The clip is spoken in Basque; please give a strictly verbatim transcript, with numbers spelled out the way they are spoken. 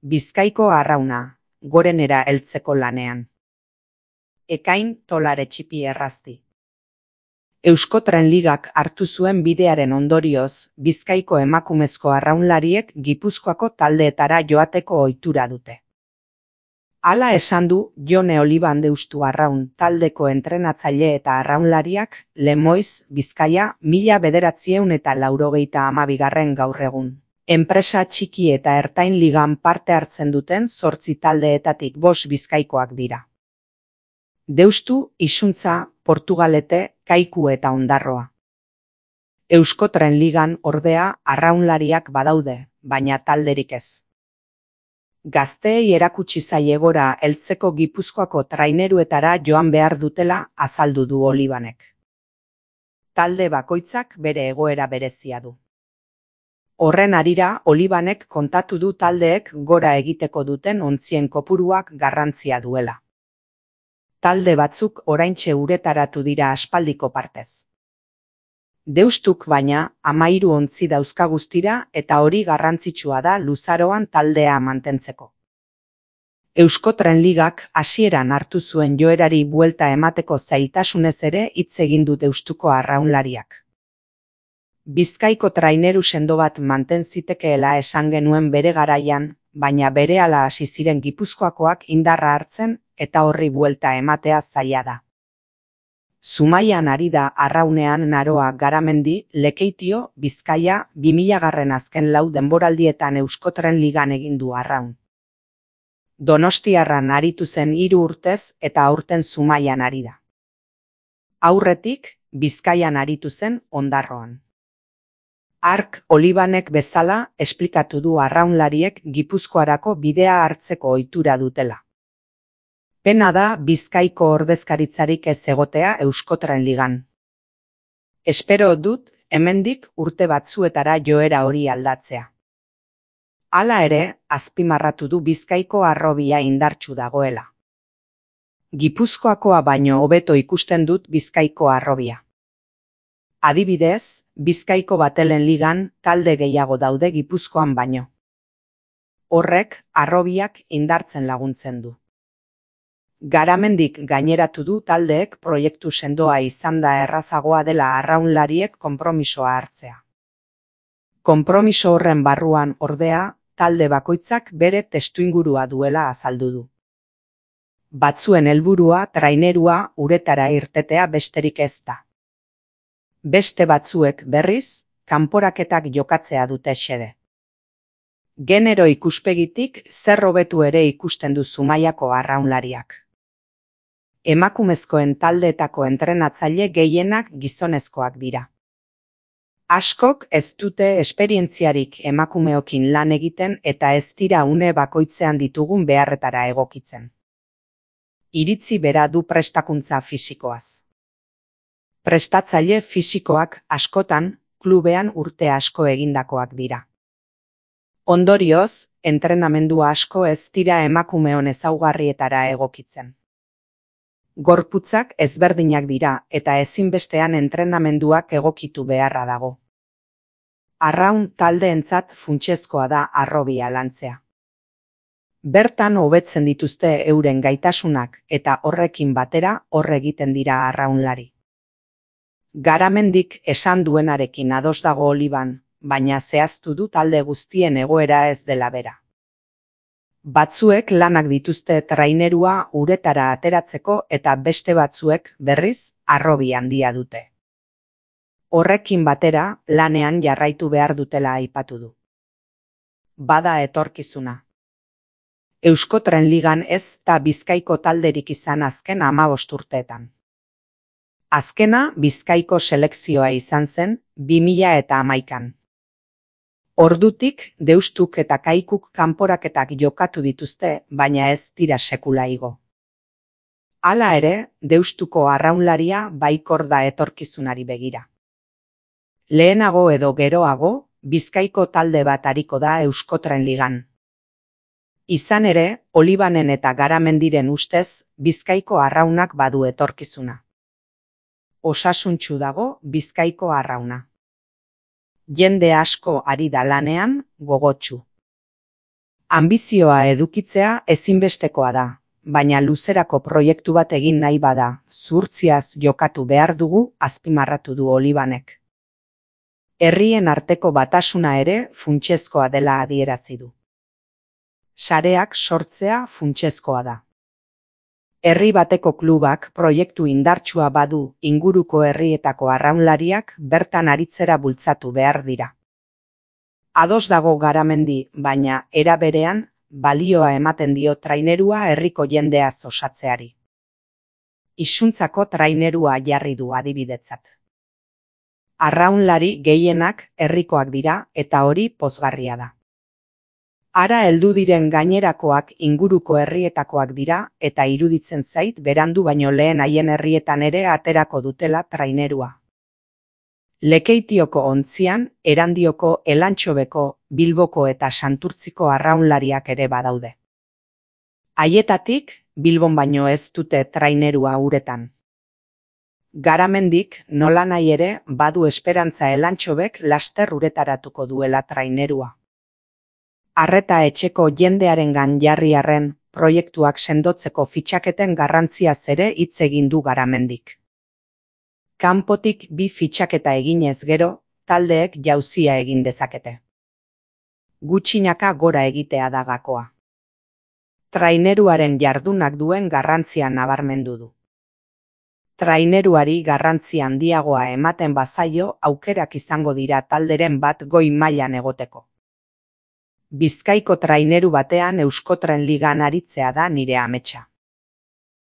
Bizkaiko arrauna, gorenera heltzeko lanean. Ekain tolare txipi errazti. Euskotren Ligak hartu zuen bidearen ondorioz, Bizkaiko emakumezko arraunlariek Gipuzkoako taldeetara joateko ohitura dute. Hala esan du Jone Oliban Deustu Arraun taldeko entrenatzaile eta arraunlariak Lemoiz, Bizkaia, mila bederatziehun eta laurogeita hamabigarren gaur egun. Enpresa txiki eta ertain ligan parte hartzen duten zortzi taldeetatik bost bizkaikoak dira. Deustu, Isuntza, Portugalete, Kaiku eta Ondarroa. Euskotren Ligan ordea arraunlariak badaude, baina talderik ez. Gazteei erakutsi zaie gora heltzeko Gipuzkoako traineruetara joan behar dutela azaldu du Olibanek. Talde bakoitzak bere egoera berezia du. Horren harira, Olibanek kontatu du taldeek gora egiteko duten ontzien kopuruak garrantzia duela. Talde batzuk oraintxe uretaratu dira aspaldiko partez. Deustuk baina, hamahiru ontzi dauzka guztira eta hori garrantzitsua da luzaroan taldea mantentzeko. Euskotren Ligak hasieran hartu zuen joerari buelta emateko zailtasunez ere hitz egin du Deustuko arraunlariak. Bizkaiko traineru sendo bat manten zitekeela esan genuen bere garaian, baina berehala hasi ziren Gipuzkoakoak indarra hartzen eta horri buelta ematea zaila da. Zumaian ari da arraunean Naroa Garamendi, Lekeitio, Bizkaia, bi milagarren azken lau denboraldietan Euskotren Ligan egin du arraun. Donostiarran aritu zen hiru urtez eta aurten Zumaian ari da. Aurretik, Bizkaian aritu zen Ondarroan. Ark Olibanek bezala esplikatu du arraunlariek Gipuzkoarako bidea hartzeko ohitura dutela. Pena da Bizkaiko ordezkaritzarik ez egotea Euskotren Ligan. Espero dut hemendik urte batzuetara joera hori aldatzea. Hala ere, azpimarratu du Bizkaiko harrobia indartsu dagoela. Gipuzkoakoa baino hobeto ikusten dut Bizkaiko harrobia. Adibidez, Bizkaiko Batelen Ligan talde gehiago daude Gipuzkoan baino. Horrek harrobiak indartzen laguntzen du. Garamendik gaineratu du taldeek proiektu sendoa izan da errazagoa dela arraunlariek konpromisoa hartzea. Konpromiso horren barruan ordea, talde bakoitzak bere testuingurua duela azaldu du. Batzuen helburua trainerua uretara irtetea besterik ez da. Beste batzuek berriz, kanporaketak jokatzea dute xede. Genero ikuspegitik zer hobetu ere ikusten du Zumaiako arraunlariak. Emakumezkoen taldeetako entrenatzaile gehienak gizonezkoak dira. Askok ez dute esperientziarik emakumeokin lan egiten eta ez dira une bakoitzean ditugun beharretara egokitzen. Iritzi bera du prestakuntza fisikoaz. Prestatzaile fisikoak askotan klubean urte asko egindakoak dira. Ondorioz, entrenamendu asko ez dira emakumeon ezaugarrietara egokitzen. Gorputzak ezberdinak dira eta ezinbestean entrenamenduak egokitu beharra dago. Arraun taldeentzat funtsezkoa da harrobia lantzea. Bertan hobetzen dituzte euren gaitasunak eta horrekin batera hor egiten dira arraunlari. Garamendik esan duenarekin ados dago Oliban, baina zehaztu du talde guztien egoera ez dela bera. Batzuek lanak dituzte trainerua uretara ateratzeko eta beste batzuek berriz harrobi handia dute. Horrekin batera lanean jarraitu behar dutela aipatu du. Bada etorkizuna. Euskotren Ligan ez da Bizkaiko talderik izan azken hamabost urteetan. Azkena Bizkaiko selekzioa izan zen bi mila eta hamaikan. Ordutik, Deustuk eta Kaikuk kanporaketak jokatu dituzte, baina ez dira sekula igo. Hala ere, Deustuko arraunlaria baikor da etorkizunari begira. Lehenago edo geroago, Bizkaiko talde bat ariko da Euskotren Ligan. Izan ere, Olibanen eta Garamendiren ustez, Bizkaiko arraunak badu etorkizuna. Osasuntsu dago Bizkaiko arrauna. Jende asko ari da lanean, gogotsu. Anbizioa edukitzea ezinbestekoa da, baina luzerako proiektu bat egin nahi bada, zuhurtziaz jokatu behar dugu, azpimarratu du Olibanek. Herrien arteko batasuna ere funtsezkoa dela adierazi du. Sareak sortzea funtsezkoa da. Herri bateko klubak proiektu indartsua badu inguruko herrietako arraunlariak bertan aritzera bultzatu behar dira. Ados dago Garamendi, baina era berean balioa ematen dio trainerua herriko jendeaz osatzeari. Isuntzako trainerua jarri du adibidetzat. Arraunlari gehienak herrikoak dira eta hori pozgarria da. Ara heldu diren gainerakoak inguruko herrietakoak dira eta iruditzen zait berandu baino lehen haien herrietan ere aterako dutela trainerua. Lekeitioko Ontzian, Erandioko, Elantxobeko, Bilboko eta Santurtziko arraunlariak ere badaude. Haietatik, Bilbon baino ez dute trainerua uretan. Garamendik nolanahi ere badu esperantza Elantxobek laster uretaratuko duela trainerua. Arreta etxeko jendearengan jarri arren, proiektuak sendotzeko fitxaketen garrantziaz ere hitz egin du Garamendik. Kanpotik bi fitxaketa eginez gero, taldeek jauzia egin dezakete. Gutxinaka gora egitea da gakoa. Traineruaren jardunak duen garrantzia nabarmendu du. Traineruari garrantzi handiagoa ematen bazaio aukerak izango dira talderen bat goi mailan egoteko. Bizkaiko traineru batean Euskotren Ligan aritzea da nire ametsa.